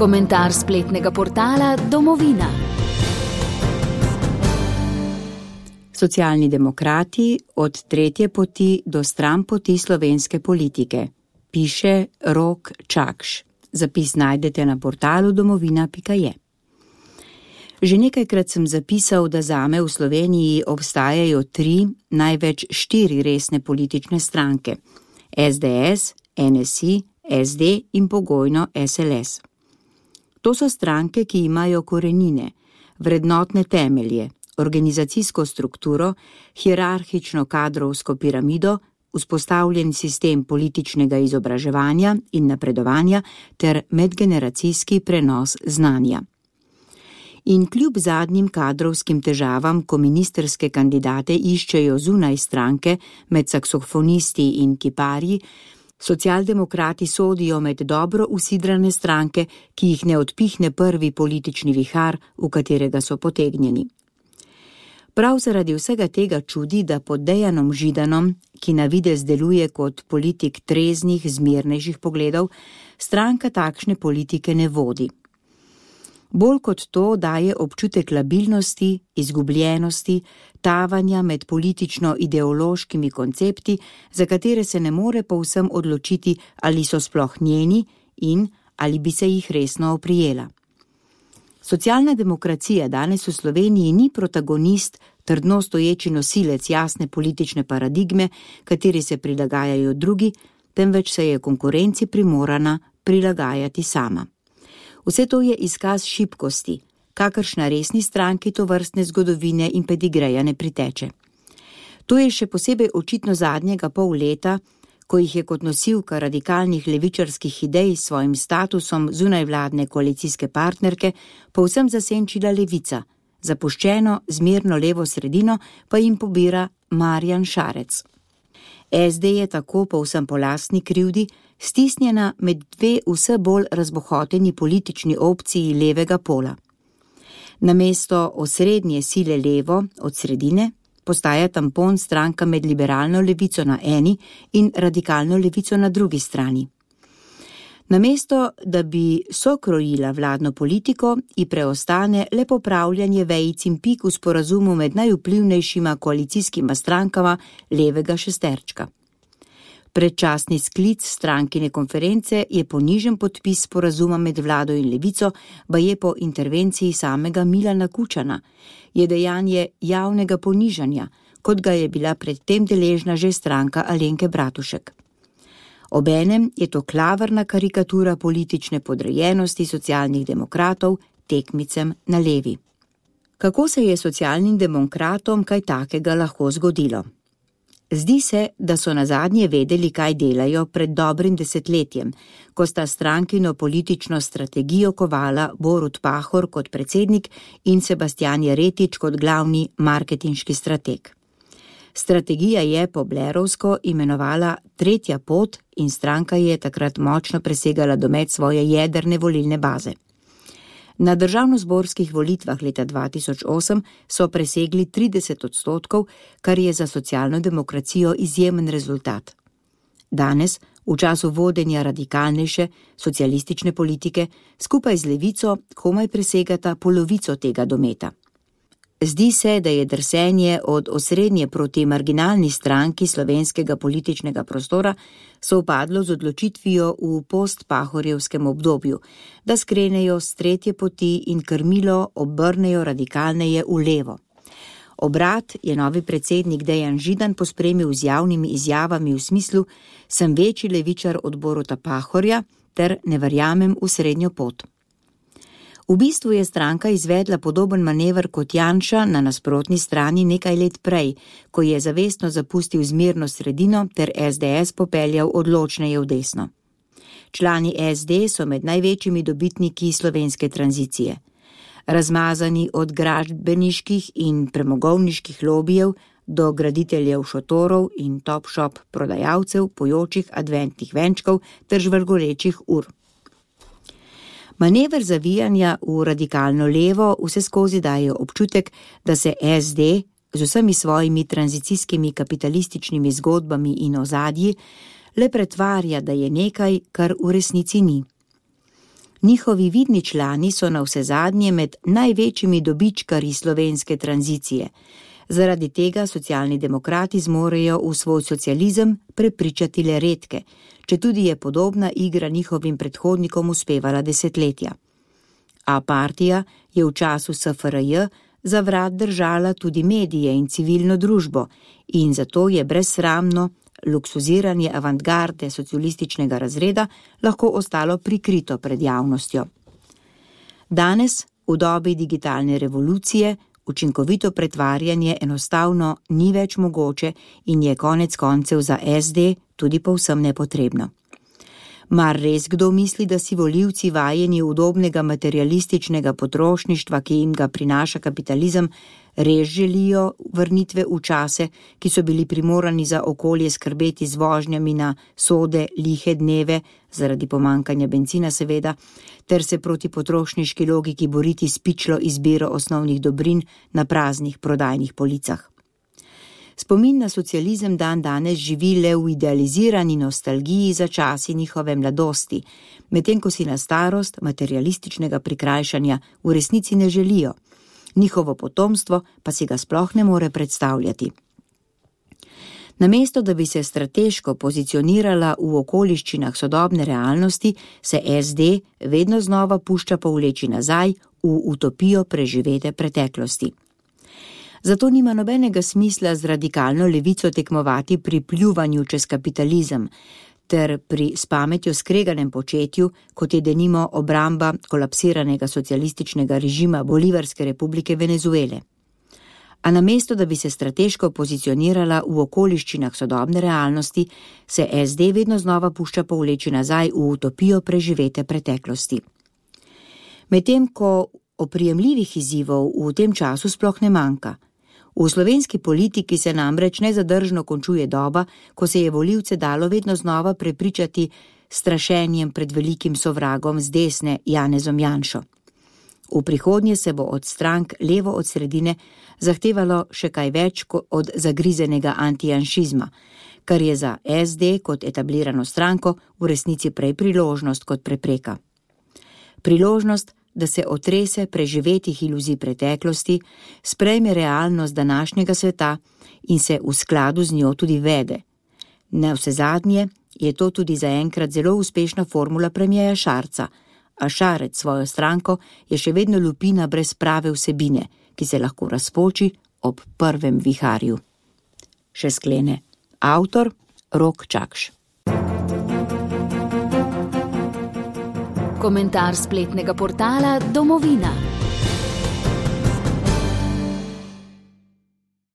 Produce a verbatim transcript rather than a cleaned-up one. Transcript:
Komentar spletnega portala Domovina. Socialni demokrati od tretje poti do stranpoti slovenske politike. Piše Rok Čakš. Zapis najdete na portalu domovina pika je. Že nekajkrat sem zapisal, da zame v Sloveniji obstajajo tri, največ štiri resne politične stranke. es de es, en es i, es de in pogojno es el es. To so stranke, ki imajo korenine, vrednotne temelje, organizacijsko strukturo, hierarhično kadrovsko piramido, vzpostavljen sistem političnega izobraževanja in napredovanja ter medgeneracijski prenos znanja. In kljub zadnjim kadrovskim težavam, ko ministerske kandidate iščejo zunaj stranke med saksofonisti in kiparji, socialdemokrati sodijo med dobro usidrane stranke, ki jih ne odpihne prvi politični vihar, v katerega so potegnjeni. Prav zaradi vsega tega čudi, da pod Dejanom Židanom, ki na videz deluje kot politik treznih, zmirnejših pogledov, stranka takšne politike ne vodi. Bolj kot to daje občutek labilnosti, izgubljenosti, tavanja med politično-ideološkimi koncepti, za katere se ne more povsem odločiti, ali so sploh njeni in ali bi se jih resno oprijela. Socialna demokracija danes v Sloveniji ni protagonist, trdno stoječi nosilec jasne politične paradigme, kateri se prilagajajo drugi, temveč se je konkurenci primorana prilagajati sama. Vse to je izkaz šibkosti, kakršna resni stranki tovrstne zgodovine in pedigreja ne priteče. To je še posebej očitno zadnjega pol leta, ko jih je kot nosilka radikalnih levičarskih idej s svojim statusom zunajvladne koalicijske partnerke povsem zasenčila levica, zapuščeno zmerno levo sredino pa jim pobira Marjan Šarec. es de je tako povsem po lastni krivdi stisnjena med dve vse bolj razbohoteni politični opciji levega pola. Namesto osrednje sile levo od sredine postaja tampon stranka med liberalno levico na eni in radikalno levico na drugi strani. Namesto, da bi sokrojila vladno politiko, ji preostane le popravljanje vejic in pik v sporazumu med najvplivnejšima koalicijskima strankama levega šesterčka. Predčasni sklic strankine konference je ponižen podpis sporazuma med vlado in levico, baje po intervenciji samega Milana Kučana, je dejanje javnega ponižanja, kot ga je bila predtem deležna že stranka Alenke Bratušek. Obenem je to klavrna karikatura politične podrejenosti socialnih demokratov tekmicem na levi. Kako se je socialnim demokratom kaj takega lahko zgodilo? Zdi se, da so nazadnje vedeli, kaj delajo pred dobrim desetletjem, ko sta strankino politično strategijo kovala Borut Pahor kot predsednik in Sebastijan Jeretič kot glavni marketinški strateg. Strategija je po blerovsko imenovala Tretja pot in stranka je takrat močno presegala domet svoje jedrne volilne baze. Na državnozborskih volitvah leta dva tisoč osem so presegli trideset odstotkov, kar je za socialno demokracijo izjemen rezultat. Danes, v času vodenja radikalnejše socialistične politike, skupaj z levico komaj presegata polovico tega dometa. Zdi se, da je drsenje od osrednje proti marginalni stranki slovenskega političnega prostora sovpadlo z odločitvijo v post-pahorjevskem obdobju, da skrenejo s tretje poti in krmilo obrnejo radikalneje v levo. Obrat je novi predsednik Dejan Židan pospremil z javnimi izjavami v smislu: sem večji levičar od Boruta Pahorja ter ne verjamem v srednjo pot. V bistvu je stranka izvedla podoben manever kot Janša na nasprotni strani nekaj let prej, ko je zavestno zapustil zmerno sredino ter es de es popeljal odločneje v desno. Člani es de so med največjimi dobitniki slovenske tranzicije. Razmazani od gradbeniških in premogovniških lobijev do graditeljev šotorov in top-shop prodajalcev pojočih adventnih venčkov ter žvrgolečih ur. Manever zavijanja v radikalno levo vse skozi daje občutek, da se es de z vsemi svojimi tranzicijskimi kapitalističnimi zgodbami in ozadji le pretvarja, da je nekaj, kar v resnici ni. Njihovi vidni člani so navsezadnje med največjimi dobičkarji slovenske tranzicije. Zaradi tega socialni demokrati zmorejo v svoj socializem prepričati le redke, četudi je podobna igra njihovim predhodnikom uspevala desetletja. A partija je v času S F R J za vrat držala tudi medije in civilno družbo in zato je brezsramno luksuziranje avantgarde socialističnega razreda lahko ostalo prikrito pred javnostjo. Danes, v dobi digitalne revolucije, učinkovito pretvarjanje enostavno ni več mogoče in je konec koncev za S D tudi povsem nepotrebno. Mar res kdo misli, da si volivci vajeni udobnega materialističnega potrošništva, ki jim ga prinaša kapitalizem, res želijo vrnitve v čase, ki so bili primorani za okolje skrbeti z vožnjami na sode lihe dneve, zaradi pomankanja bencina seveda, ter se proti potrošniški logiki boriti s pičlo izbiro osnovnih dobrin na praznih prodajnih policah. Spomin na socializem dan danes živi le v idealizirani nostalgiji za časi njihove mladosti, medtem ko si na starost materialističnega prikrajšanja v resnici ne želijo. Njihovo potomstvo pa si ga sploh ne more predstavljati. Namesto, da bi se strateško pozicionirala v okoliščinah sodobne realnosti, se S D vedno znova pušča povleči nazaj v utopijo preživete preteklosti. Zato nima nobenega smisla z radikalno levico tekmovati pri pljuvanju čez kapitalizem, ter pri s pametjo skreganem početju, kot je denimo obramba kolapsiranega socialističnega režima Bolivarske republike Venezuele. A namesto, da bi se strateško pozicionirala v okoliščinah sodobne realnosti, se S D vedno znova pušča povleči nazaj v utopijo preživete preteklosti. Medtem ko oprijemljivih izzivov v tem času sploh ne manjka. V slovenski politiki se namreč nezadržno končuje doba, ko se je volivce dalo vedno znova prepričati strašenjem pred velikim sovragom z desne Janezom Janšo. V prihodnje se bo od strank levo od sredine zahtevalo še kaj več od zagrizenega antijanšizma, kar je za S D kot etablirano stranko v resnici prej priložnost kot prepreka. Priložnost, da se otrese preživetih iluzij preteklosti, sprejme realnost današnjega sveta in se v skladu z njo tudi vede. Navsezadnje je to tudi zaenkrat zelo uspešna formula premierja Šarca, a Šarec svojo stranko je še vedno lupina brez prave vsebine, ki se lahko razpoči ob prvem viharju. Še sklene avtor Rok Čakš. Komentar spletnega portala Domovina.